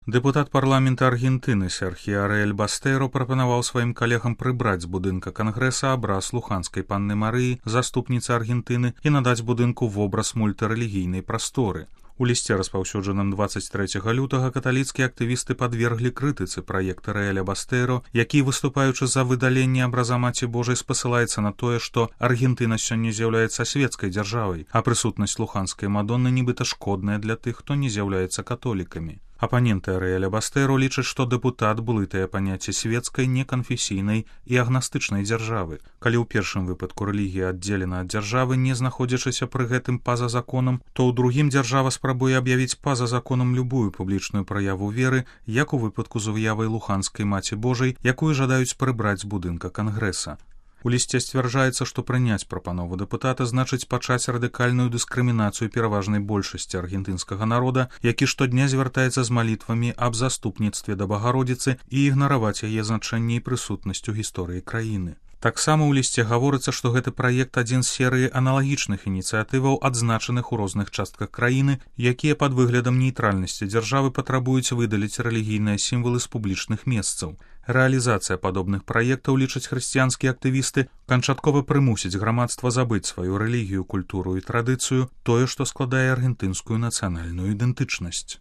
Дэпутат парламента Аргентыны Серхіо Ариэль Бастэро прапанаваў сваім калегам прыбраць з будынка Кангрэса абраз луханскай панны Марыі, заступніцы Аргентыны, і надаць будынку вобраз мультырэлігійнай прасторы. У лісце, распаўсюджаным 23 лютага, каталіцкія актывісты падверглі крытыцы праект Ариэля Бастэро, які, выступаючы за выдаленне абраза Маці Божай, спасылаецца на тое, што Аргентына сёння з'яўляецца свецкай дзяржавай, а прысутнасць луханскай мадонны нібыта шкодная для тых, хто не з'яўляецца католікамі. Апаненты Ариэля Бастэро лічаць, што дэпутат блытае паняцце свецкай, неканфесійнай і агнастычнай дзяржавы. Калі ў першым выпадку рэлігія аддзелена ад дзяржавы, не знаходзячыся пры гэтым па-за законам, то ў другім дзяржава спрабуе аб'явіць па-за законам любую публічную праяву веры, як у выпадку з уявай луханскай Маці Божай, якую жадаюць прыбраць з будынка Кангрэса. У лісце сцвярджаецца, што прыняць прапанову дэпутата значыць пачаць радыкальную дыскрымінацыю пераважнай большасці аргентынскага народа, які штодня звяртаецца з малітвамі аб заступніцтве да Багародзіцы, і ігнараваць яе значэнне і прысутнасць у гісторыі краіны. Таксама ў лісце гаворыцца, што гэты праект адзін з серыі аналагічных ініцыятываў, адзначаных у розных частках краіны, якія пад выглядам нейтральнасці дзяржавы патрабуюць выдаліць рэлігійныя сімвалы з публічных месцаў. Рэалізацыя падобных праектаў, лічаць хрысціянскія актывісты, канчаткова прымусіць грамадства забыць сваю рэлігію, культуру і традыцыю, тое, што складае аргентынскую нацыянальную ідэнтычнасць.